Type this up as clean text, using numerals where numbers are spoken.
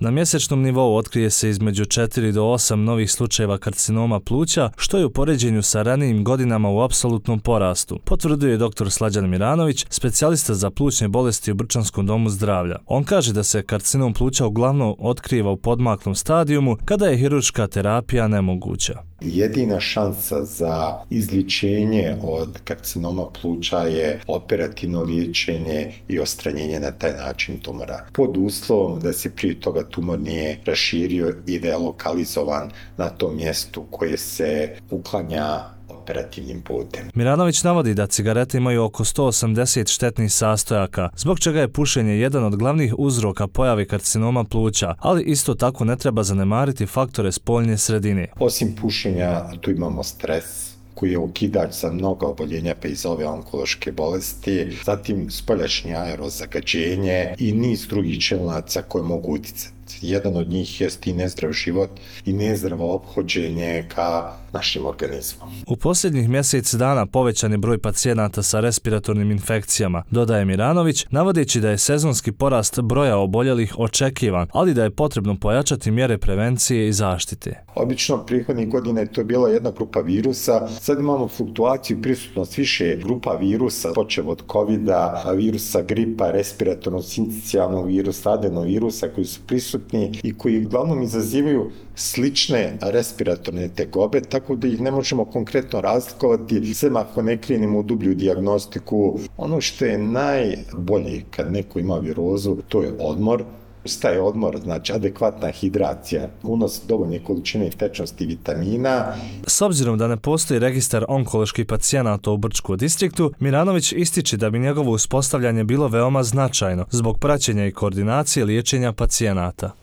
Na mjesečnom nivou otkrije se između 4 do 8 novih slučajeva karcinoma pluća, što je u poređenju sa ranijim godinama u apsolutnom porastu, potvrduje dr. Slađan Miranović, specijalista za plućne bolesti u Brčanskom domu zdravlja. On kaže da se karcinom pluća uglavnom otkriva u podmaklom stadijumu kada je hirurška terapija nemoguća. Jedina šansa za izlječenje od karcinoma pluća je operativno liječenje i odstranjenje na taj način tumora. Pod uslovom da se prije toga tumor nije raširio i da je lokalizovan na tom mjestu koje se uklanja operativnim putem. Miranović navodi da cigarete imaju oko 180 štetnih sastojaka, zbog čega je pušenje jedan od glavnih uzroka pojave karcinoma pluća, ali isto tako ne treba zanemariti faktore spoljne sredine. Osim pušenja, tu imamo stres, koji je okidač za mnoga oboljenja pa i za ove onkološke bolesti, zatim spoljašnje aerozagađenje i niz drugih činilaca koje mogu uticati. Jedan od njih jest i nezdrav život i nezdravo ophođenje ka našim organizmom. U posljednjih mjesec dana povećan je broj pacijenata sa respiratornim infekcijama, dodaje Miranović, navodeći da je sezonski porast broja oboljelih očekivan, ali da je potrebno pojačati mjere prevencije i zaštite. Obično prihodnih godina je to bila jedna grupa virusa, sad imamo fluktuaciju i prisutnost više grupa virusa, počev od covida, virusa gripa, respiratornog sincicijalnog virusa, adenovirusa koji su prisutni i koji uglavnom izazivaju slične respiratorne tegobe, tako da ih ne možemo konkretno razlikovati, sem ako ne krenemo u dublju dijagnostiku. Ono što je najbolje kad neko ima virozu, to je odmor. Šta je odmor? Znači adekvatna hidracija, unos dovoljne količine tečnosti vitamina. S obzirom da ne postoji registar onkoloških pacijenata u Brčkom distriktu, Miranović ističe da bi njegovo uspostavljanje bilo veoma značajno zbog praćenja i koordinacije liječenja pacijenata.